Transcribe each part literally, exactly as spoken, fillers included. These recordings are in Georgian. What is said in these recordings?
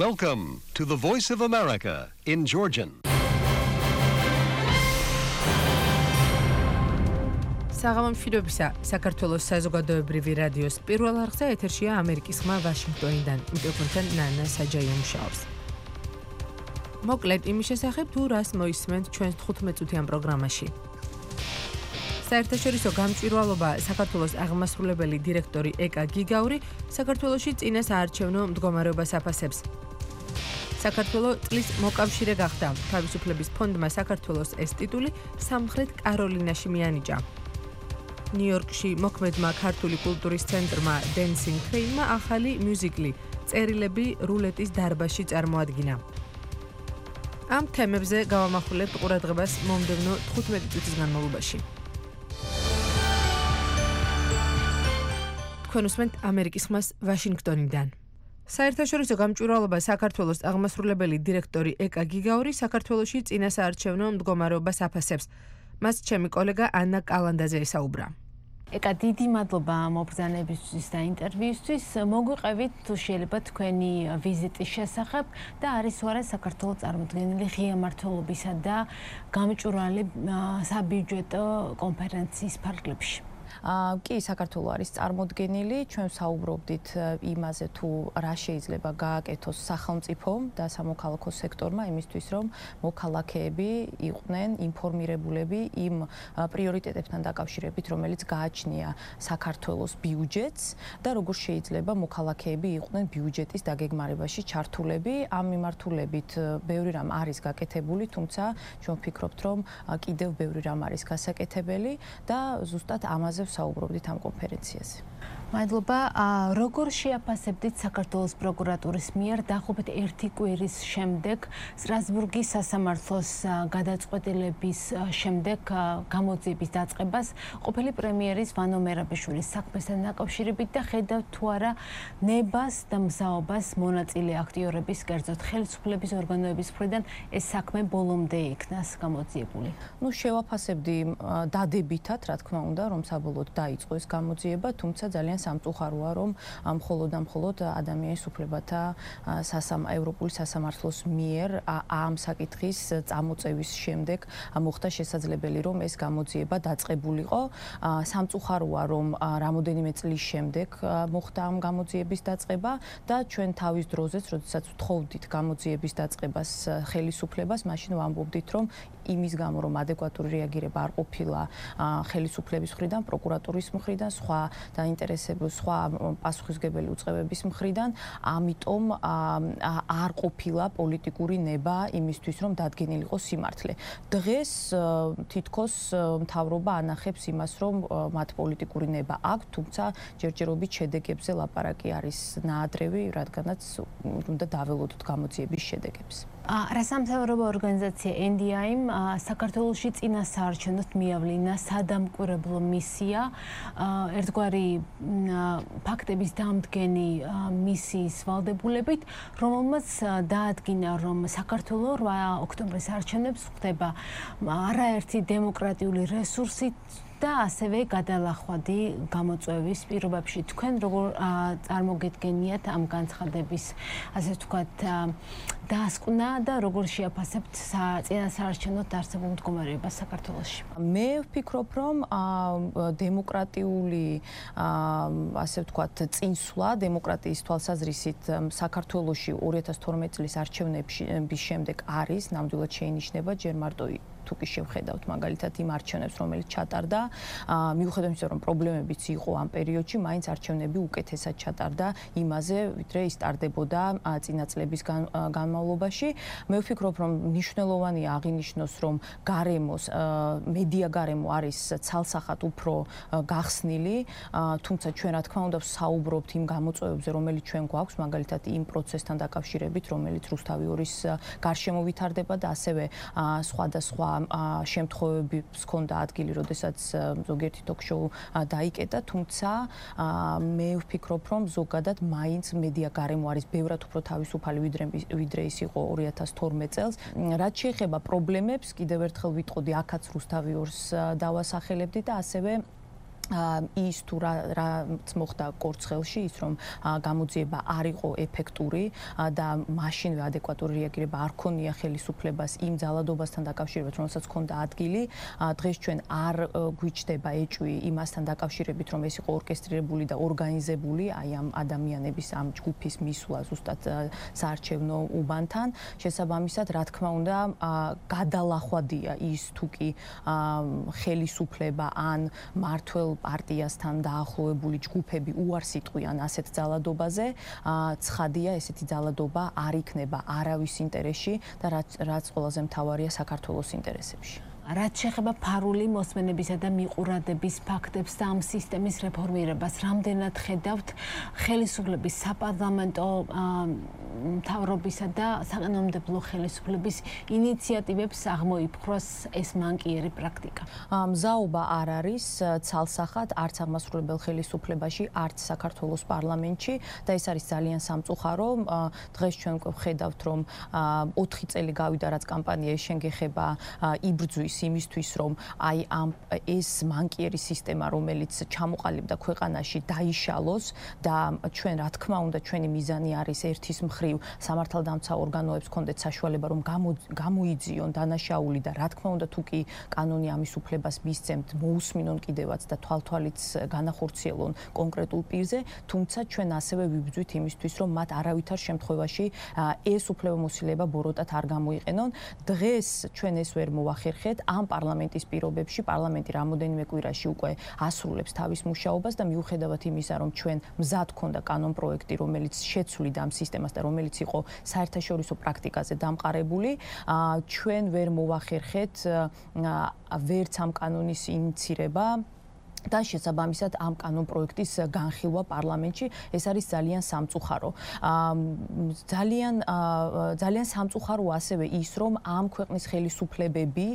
Welcome to the Voice of America in Georgian. საღამომშვიდობისა, საქართველოს საზოგადოებრივი რადიოს პირველ არხზე ეთერშია ამერიკის ხმა ვაშინგტონიდან. მიკროფონთან ნანა საჯაია მუშაობს. მოკლედ იმის შესახებ თუ რას მოისმენთ ჩვენს თხუთმეტ-წუთიან პროგრამაში. საერთაშორისო გამჭვირვალობა საქართველოს აღმასრულებელი დირექტორი ეკა გიგაური საქართველოში წინა საარჩევნო მდგომარეობას აფასებს. საქართველოს წლის მოკავშირე გახდა. თავისუფლების ფონდმა საქართველოს ეს ტიტული სამხრეთ კაროლინაში მიანიჭა. ნიუ-იორკში მოქმედმა ქართული კულტურის ცენტრმა Dancing Crane-მა ახალი მიუზიკლი წერილები რულეტის დარბაზში წარმოადგინა. ამ თემებზე გავამახვილებთ ყურადღებას მომდევნო თხუთმეტი წუთის განმავლობაში. თქვენ უსმენთ ამერიკის ხმას ვაშინგტონიდან. საერთაშორისო გამჭვირვალობა საქართველოს აღმასრულებელი დირექტორი ეკა გიგაური საქართველოში წინა საარჩევნო მდგომარეობას აფასებს. მას ჩემი კოლეგა ანა კალანდაძე ესაუბრა. ეკა დიდი მადლობა მობრძანებისთვის და ინტერვიუსთვის. მოგვიყევით თუ შეიძლება თქვენი ვიზიტის შესახებ და არის თუ არა საქართველოს წარმოდგენილი ღია მმართველობისა და გამჭვირვალე საბიუჯეტო კონფერენციის ფარგლებში. კი, საქართველოს არის წარმოდგენილი, ჩვენ საუბრობდით იმაზე თუ რა შეიძლება გააკეთოს სახელმწიფომ და სამოქალაქო სექტორმა იმისთვის, რომ მოქალაქეები იყვნენ ინფორმირებულები იმ პრიორიტეტებთან დაკავშირებით, რომელიც გააჩნია საქართველოს ბიუჯეტს და როგორ შეიძლება მოქალაქეები იყვნენ ბიუჯეტის დაგეგმარებაში ჩართულები. ამ მიმართულებით ბევრი რამ არის გაკეთებული, თუმცა ჩვენ ვფიქრობთ, რომ კიდევ ბევრი რამ არის გასაკეთებელი და ზუსტად ამაზე საუბრობდით ამ კონფერენციაზე. მადლობა. როგორ შეაფასებდით საქართველოს პროკურატურის მიერ დაახლოებით ერთი კვირის შემდეგ სტრასბურგის სასამართლოს გადაწყვეტილების შემდეგ გამოძიების დაწყებას ყოფილი პრემიერის ვანო მერაბიშვილის საქმესთან დაკავშირებით და ხედავთ თუ არა ნებას და მზაობას მონაწილე აქტიორების, კერძოდ ხელისუფლების ორგანოების მხრიდან ეს საქმე ბოლომდე იქნას გამოძიებული? ნუ შევაფასებდი დადებითად, რა თქმა უნდა, რომ საბოლოოდ დაიწყო ეს გამოძიება, თუმცა ძალიან სამწუხაროა, რომ მხოლოდ და მხოლოდ ადამიანის უფლებათა ევროპული სასამართლოს მიერ ამ საკითხის წამოწევის შემდეგ მოხდა შესაძლებელი, რომ ეს გამოძიება დაწყებულიყო. სამწუხაროა, რომ რამოდენიმე წლის შემდეგ მოხდა ამ გამოძიების დაწყება და ჩვენ თავის დროზეც, როდესაც ვთხოვდით გამოძიების დაწყებას ხელისუფლებას, მაშინ ვამბობდით, რომ იმის გამო, რომ ადეკვატური რეაგირება არ ყოფილა ხელისუფლების მხრიდან, პროკურატურის მხრიდან, სხვა დაინტერესებული სხვა პასუხისმგებელი უწყებების მხრიდან, ამიტომ არ ყოფილა პოლიტიკური ნება იმისთვის, რომ დადგენილიყო სიმართლე. დღეს თითქოს მთავრობა ანახებს იმას, რომ მათ პოლიტიკური ნება აქვს, თუმცა ჯერჯერობით შედეგებზე ლაპარაკი არის ნაადრევი, რადგანაც უნდა დაველოდოთ გამოძიების შედეგებს. რასამთავრობო ორგანიზაცია ენ დი აი-მ საქართველოში წინა საარჩევნოდ მიავლინა სადამკვირვებლო მისია, ერთგვარი ფაქტების დამდგენი მისიის ვალდებულებით, რომელმაც დაადგინა, რომ საქართველოს რვა ოქტომბრის არჩევნებს ხდება არაერთი დემოკრატიული რესურსით და ასევე გადალახვადი გამოწვევის პირობებში. თქვენ როგორ წარმოგედგენიათ ამ განცხადების, ასე ვთქვათ, დასკვნა და როგორ შეაფასებთ წინა საარჩევნოდ არსებულ მდგომარეობას საქართველოში? მე ვფიქრობ, რომ დემოკრატიული, ასე ვთქვათ, წინსვლა დემოკრატიის თვალსაზრისით საქართველოში ორი ათას თორმეტი წლის არჩევნების შემდეგ არის, ნამდვილად შეინიშნება, ჯერ მარტო თუ კი შევხედავთ მაგალითად იმ არჩევნებს, რომელიც ჩატარდა, მიუხედავად იმისა, რომ პრობლემებიც იყო ამ პერიოდში, მაინც არჩევნები უკეთესად ჩატარდა იმაზე, ვიდრე ის ტარდებოდა წინა წლების განმავლობაში. მე ვფიქრობ, რომ მნიშვნელოვანია აღინიშნოს, რომ გარემოს, მედია გარემო არის ცალსახად უფრო გახსნილი, თუმცა ჩვენ რა თქმა უნდა საუბრობთ იმ გამოწვევებზე, რომელიც ჩვენ გვაქვს, მაგალითად იმ პროცესთან დაკავშირებით, რომელიც რუსთავი ორის გარშემო ვითარდება და ასევე სხვადასხვა შემთხვევებს ჰქონდა ადგილი, როდესაც ზოგიერთი ток-შოუ დაიკეტა, თუმცა მე ვფიქრობ, რომ ზოგადად მაინც მედია გარემო არის ბევრად უფრო თავისუფალი ვიდრე ის იყო ორი ათას თორმეტ წელს. რაც შეეხება პრობლემებს, კიდევ ერთხელ ვიტყოდი, აქაც რუსთავი ორს დავასახელებდი და ასევე ის თუ რაც მოხდა კორცხელში, ის რომ გამოძიება არ იყო ეფექტური და მაშინვე ადეკვატური რეაგირება არ ქონია ხელისუფლებას იმ ძალადობასთან დაკავშირებით, რომელსაც ჰქონდა ადგილი. დღეს ჩვენ არ გვიჩნდება ეჭვი იმასთან დაკავშირებით, რომ ეს იყო ორკესტრირებული და ორგანიზებული, აი ამ ადამიანების ამ ჯგუფის მისვლა ზუსტად საარჩევნო უბანთან. შესაბამისად, რა თქმა უნდა, გადალახვადია ის თუ კი ხელისუფლება ან მართველ პარტიასთან დაახლოებული ჯგუფები უარს იტყვიან ასეთ ძალადობაზე, ცხადია ესეთი ძალადობა არ იქნება არავის ინტერესში და რაც ყველაზე მთავარია საქართველოს ინტერესებში. რაც შეეხება ფარული მოსმენებისა და მიყურადების ფაქტებს და ამ სისტემის რეფორმირებას, რამდენად ხედავთ ხელისუფლების საპარლამენტო მთავრობისა და საკანონმდებლო ხელისუფლების ინიციატივებს აღმოიფხვრას ეს მანკიერი პრაქტიკა? მზაობა არ არის ცალსახად არც აღმასრულებელ ხელისუფლებაში, არც საქართველოს პარლამენტში და ეს არის ძალიან სამწუხარო. დღეს ჩვენ ხედავთ, რომ ოთხი წელი გავიდა, რაც კამპანია შენგეხება იბრძვის იმისთვის, რომ აი ამ ეს მანკიერი სისტემა, რომელიც ჩამოყალიბდა ქვეყანაში, დაიშალოს და ჩვენ რა თქმა უნდა ჩვენი მიზანი არის ერთის მხრივ სამართალდამცავ ორგანოებს ჰქონდეთ საშუალება, რომ გამოიძიონ დანაშაული და რა თქმა უნდა თუ კი კანონი ამის უფლებას მისცემთ, მოусმინონ კიდევაც და თვალთვალიც განახორციელონ კონკრეტულ პირზე, თუმცა ჩვენ ასევე ვიბრძვით იმისთვის, რომ მათ არავითარ შემთხვევაში ეს უფლებამოსილება ბოროტად არ გამოიყენონ. დღეს ჩვენ ეს ვერ მოვახერხეთ. ამ პარლამენტის პირობებში პარლამენტი რამოდენიმე კვირაში უკვე ასრულებს თავის მუშაობას და მიუხედავად იმისა, რომ ჩვენ მზად ქონდა კანონ პროექტი, რომელიც შეცვლიდა ამ სისტემას და რომელიც იყო საერთაშორისო პრაქტიკაზე დამყარებული, ჩვენ ვერ მოვახერხეთ ვერც ამ კანონის ინიცირება და შესაბამისად ამ კანონ პროექტის განხილვა პარლამენტში. ეს არის ძალიან სამწუხარო. ძალიან ძალიან სამწუხარო ასევე ის, რომ ამ ქვეყნის ხელისუფლებები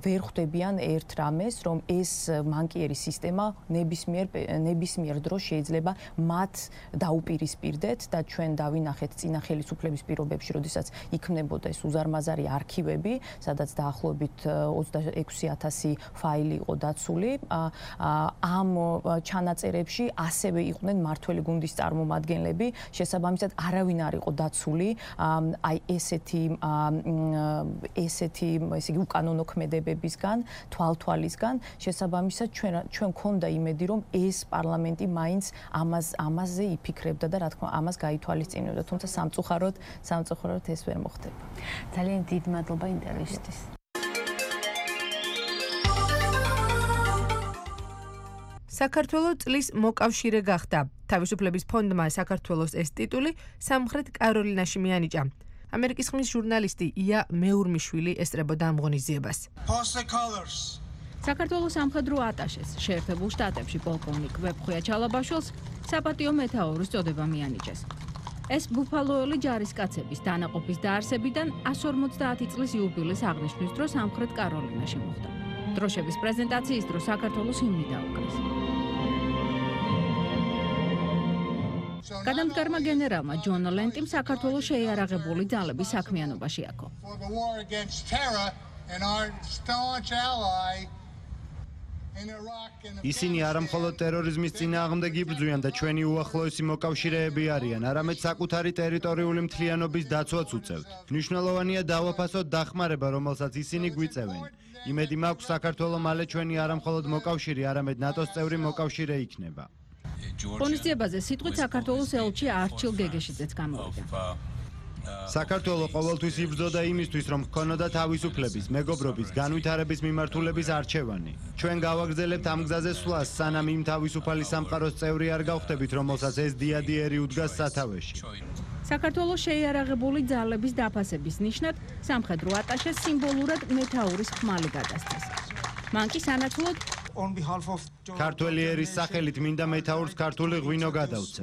ვერ ხვდებიან ერთ რამეს, რომ ეს მანკიერი სისტემა ნებისმიერ ნებისმიერ დროს შეიძლება მათ დაუპირისპირდეთ და ჩვენ დავინახეთ წინა ხელისუფლების პირობებში, როდესაც იქმნებოდა ეს უზარმაზარი არქივები, სადაც დაახლოებით ოცდაექვსი ათასი ფაილი იყო დაცული. ამ ჩანაწერებში ასევე იყვნენ მართველი გუნდის წარმომადგენლები, შესაბამისად არავინ არ იყო დაცული აი ესეთი ესეთი ესე იგი უკანონო ქმედებებისგან, თვალთვალისგან, შესაბამისად ჩვენ ჩვენ გქონდა იმედი, რომ ეს პარლამენტი მაინც ამას ამაზე იფიქრებდა და რა თქმა უნდა ამას გაითვალისწინებდა, თუმცა სამწუხაროდ სამწუხაროდ ეს ვერ მოხდება. ძალიან დიდი მადლობა ინტერვიუსთვის. საქართველოს წლის მოკავშირე გახდა. თავისუფლების ფონდმა საქართველოს ეს ტიტული სამხრეთ კაროლინაში მიანიჭა. ამერიკის ხმის ჟურნალისტი ია მეურმიშვილი ესწრებოდა ამ ღონისძიებას. საქართველოს სამხედრო ატაშეს შეერთებულ შტატებში პოლკოვნიკ ვეფხვია ჩალაბაშვილს საპატიო მეთაურის წოდება მიანიჭეს. ეს ბუფალოელი ჯარისკაცების დანაყოფის დაარსებიდან εκατს ორმოცდაათი წლის იუბილეს აღნიშვნის დროს სამხრეთ კაროლინაში მოხდა. დროშების პრეზენტაციის დროს საქართველოს ჰიმნი დაუკრეს. გადამდგარმა გენერალმა ჯონ ლენტიმ საქართველოს შეიარაღებული ძალების საქმიანობაში აქო. ისინი არა მხოლოდ ტერორიზმის წინააღმდეგ იბრძვიან და ჩვენი უახლოესი მოკავშირეები არიან, არამედ საკუთარი ტერიტორიული მთლიანობის დაცვაც უწევთ. მნიშვნელოვანია დავაფასოთ დახმარება, რომელსაც ისინი გვიწევენ. იმედი მაქვს საქართველოს მალე ჩვენი არა მხოლოდ მოკავშირე, არამედ ნატოს წევრი მოკავშირე იქნება. ღონისძიებაზე სიტყვით საქართველოს ელჩი არჩილ გეგეშიძეც გამოვიდა. საქართველოს ყოველთვის იბრძოდა იმისთვის, რომ ჰქონოდა თავისუფლების, მეგობრობის, განვითარების მიმართულების არჩევანი. ჩვენ გავაგრძელებთ ამ გზაზე სვლას, სანამ იმ თავისუფალი სამყაროს წევრი არ გავხდებით, რომელსაც ეს დიადიერი უდგას სათავეში. საქართველოს შეიარაღებული ძალების დაფასების ნიშნად სამხედრო ატაშეს სიმბოლურად მეთაურის ხმალი გადასცეს. მან კი სანაცვლოდ ქართველი ერის სახელით მინდა მეთაურს ქართული ღვინო გადავცე.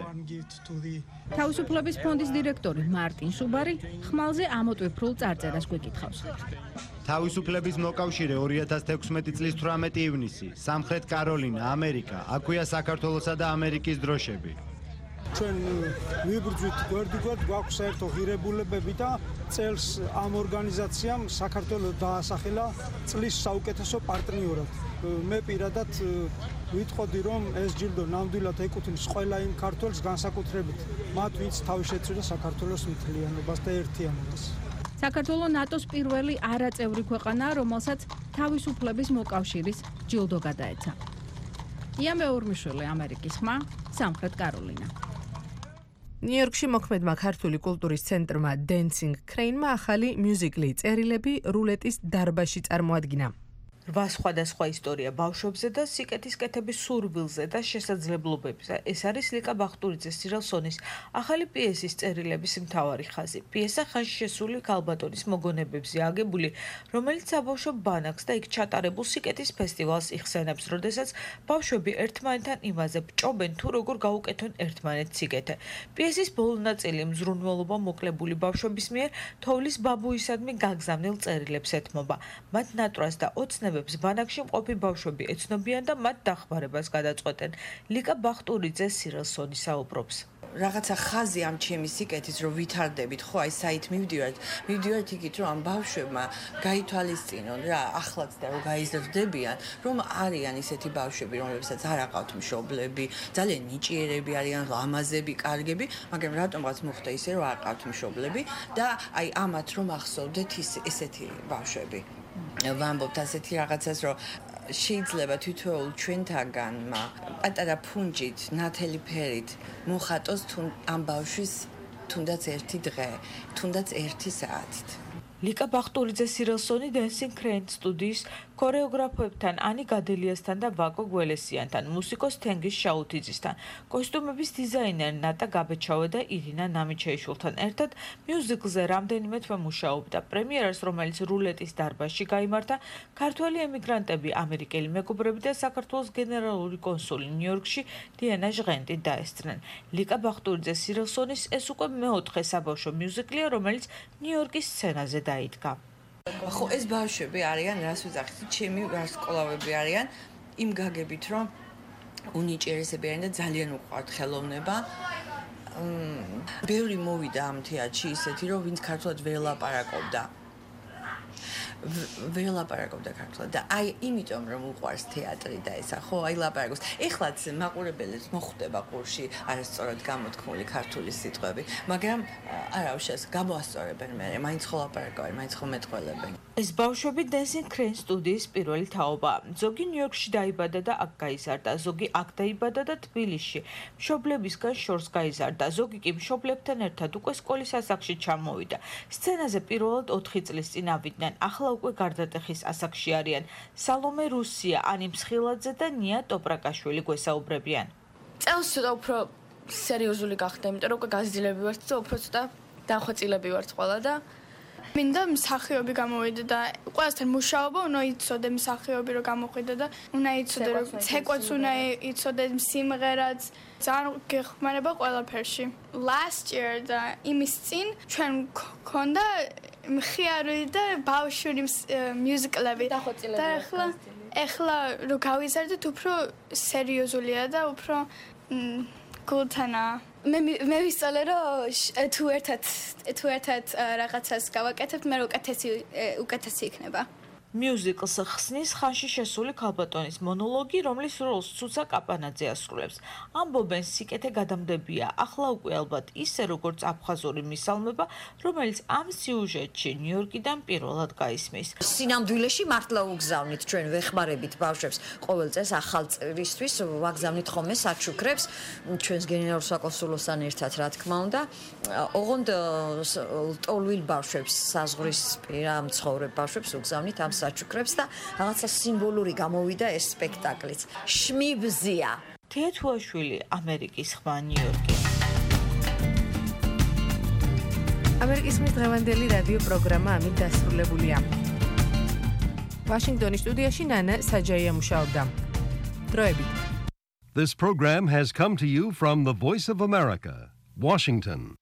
თავისუფლების ფონდის დირექტორი მარტინ სუბარი ხმალზე ამოტვიფრულ წარწერას გვეკითხავს. თავისუფლების მოკავშირე ორი ათას თექვსმეტი წლის თვრამეტი ივნისი, სამხრეთ კაროლინა, ამერიკა, აქვეა საქართველოსა და ამერიკის დროშები. ჩვენ ვიბრძვით გვერდიგვერდ, გვაქვს საერთო ღირებულებები და წელს ამ ორგანიზაციამ საქართველოს დაასახელა წლის საუკეთესო პარტნიორად. მე პირადად ვიტყოდი რომ ეს ჯილდო ნამდვილად ეკუთვნის ყველა იმ ქართველს განსაკუთრებით მათ ვინც თავი შეცვლა საქართველოს მთლიანობას და ერთიანობას. საქართველო ნატოს პირველი არაწევრი ქვეყანაა, რომელსაც თავისუფლების მოკავშირის ჯილდო გადაეცა. იან მეურმიშვილი, ამერიკის ხმა, სამხრეთ კაროლინა. ნიუ-იორკში მოქმედმა ქართული კულტურის ცენტრმა Dancing Crane-მა ახალი მიუზიკლი წერილები რულეტის დარბაზში წარმოადგინა. რვა სხვადასხვა ისტორია ბავშვებზე და სიკეთის კეთების სურვილზე და შესაძლებლობებზე. ეს არის ლიკა ბახტურიძეს სირალსონის ახალი პიესის წერილების მთავარი ხაზი. პიესა ხანში შესული ქალბატონის მოგონებებზე აგებული, რომელიც საბავშვო ბანაკს და იქ ჩატარებულ სიკეთის ფესტივალს იხსენებს, როდესაც ბავშვები ერთმანეთთან იმაზე ბჭობენ, თუ როგორ გაუკეთონ ერთმანეთს სიკეთე. პიესის ბოლო ნაწილი მზრუნველობა მოკლებული ბავშვების მიერ თოვლის ბაბუისადმი გაგზავნილ წერილებს ეთმობა. მათ ნატრას და ოცნებ ბანაკში მყოფი ბავშვები ეცნობიან და მათ დახმარებას გადაწყვეტენ. ლიკა ბახტურიძე სირალსონი საუბრობს. რაღაცა ხაზი ამ ჩემი სიკეთის რომ ვითარდებით, ხო, აი საით მივდივართ, მივდივართ იქით რომ ამ ბავშვებმა გაითვალისწინონ რა, ახლაც და რომ გაიზრდებიან, რომ არიან ისეთი ბავშვები, რომლებსაც არ აყავთ მშობლები, ძალიან ნიჭიერები არიან, ლამაზები, კარგები, მაგრამ რატომღაც მოხდა ისე რომ არ აყავთ მშობლები და აი ამათ რომ ახსოვდეთ ესეთი ბავშვები. ვამბობთ ასეთი რაღაცას, რომ შეიძლება თითოეულ ჩვენთაგანმა პატარა ფუნჯით, ნათელი ფერით მოხატოს ამ ბავშვის თუნდაც ერთი დღე, თუნდაც ერთი საათით. ლიკა ბახტურიძე სირალსონი Dancing Crane სტუდიის ქორეოგრაფებთან ანი გადელიასთან და ვაკო გველესიანთან, მუსიკოს თენგიზ შაუთიძისთან, კოსტუმების დიზაინერ ნატა გაბეჩავე და ირინა ნამიჩეიშვილთან ერთად მიუზიკლზე რამდენიმე თვე მუშაობდა. პრემიერას, რომელიც რულეტის დარბაზში გაიმართა, ქართველი ემიგრანტები, ამერიკელი მეგობრები და საქართველოს გენერალური კონსული ნიუ-იორკში დიანა ჟღენტი დაესწრნენ. ლიკა ბახტურიძე სირალსონის ეს უკვე მეოთხე საბავშვო მიუზიკლია, რომელიც ნიუ-იორკის სცენაზე დაიდგა. ხო, ეს ბავშვები არიან, რას ვიძახით, ჩემი ვარსკვლავები არიან, იმ გაგებით, რომ უნიჭიერესები არიან და ძალიან უყვართ ხელოვნება. ბევრი მოვიდა ამ თეატრში ისეთი, რომ ვინც ქართულად ვერ ლაპარაკობდა. ვერ ლაპარაკობდა ქართულად და აი იმიტომ რომ უყვარს თეატრი და ესა ხო აი ლაპარაკობს. ეხლაც მაყურებელებს მოხვდება ყურში არასწორად გამოთქმული ქართული სიტყვები, მაგრამ არა უშავს გამოასწორებენ მე, მაინც ხო ლაპარაკობენ, მაინც ხო მეტყველებენ. ეს ბავშვები Dancing Crane სტუდიის პირველი თაობა. ზოგი ნიუ-იორკში დაიბადა და აქ გაიზარდა, ზოგი აქ დაიბადა და თბილისში. მშობლებისგან შორს გაიზარდა, ზოგი კი მშობლებთან ერთად უკვე სკოლის ასაკში ჩამოვიდა. სცენაზე პირველად ოთხი წლის წინ ავიდნენ, ახლა უკვე გარდატეხის ასაკში არიან. სალომე რუსია, ანი მსხილაძე და ნია ტოპრაკაშვილი გვესაუბრებიან. წელს ცოტა უფრო სერიოზული გახდა, იმიტომ რომ უკვე გაზრდილები ვართ და უფრო ცოტა დახვეწილები ვართ ყველა და მინდა მსახიობი გამოვიდე და ყველასთან მუშაობა უნდა იცოდე მსახიობი რომ გამოყვიდე და უნდა იცოდე რომ ცეკვაც უნდა იცოდე სიმღერაც ძალიან გეხმარება ყველაფერში. Last year და იმის წინ ჩვენ გქონდა მხიარი და ბავშვური მიუზიკლები და ახლა ახლა რომ გავიზარდეთ უფრო სერიოზულია და უფრო გულთანა მე მე ვისწავლე რომ თუ ერთად თუ ერთად რაღაცას გავაკეთებთ მე უკეთესი უკეთესი იქნება. მიუზიკლს ხსნის ხანში შესული ქალბატონის მონოლოგი, რომლის როლს ცუცა კაპანაძე ასრულებს. ამბობენ სიკეთე გადამდებია, ახლა უკვე ალბათ ისე როგორც აფხაზური მისალმება, რომელიც ამ სიუჟეტში ნიუ-იორკიდან პირველად გაისმის. სინამდვილეში მართლა უგზავნით ჩვენ ვეხმარებით ბავშვებს ყოველ წელს ახალ წრისთვის ვაგზავნით ხოლმე საჩუქრებს ჩვენს გენერალურ საკონსულოსთან ერთად რა თქმა უნდა. ოღონდ ლტოლვილ ბავშვებს, საზღვრისპირა მცხოვრებ ბავშვებს უგზავნით ამ საჩუქრებს და რაღაცა სიმბოლური გამოვიდა ეს სპექტაკლიც. შმიბზია. თეთუაშვილი, ამერიკის ხმა, ნიუ-იორკი. ამერიკის ხმის დღევანდელი რადიო პროგრამა ამით დასრულებულია. ვაშინგტონის სტუდიაში ნანა საჯაია მუშაობდა. დროებით. This program has come to you from the Voice of America, Washington.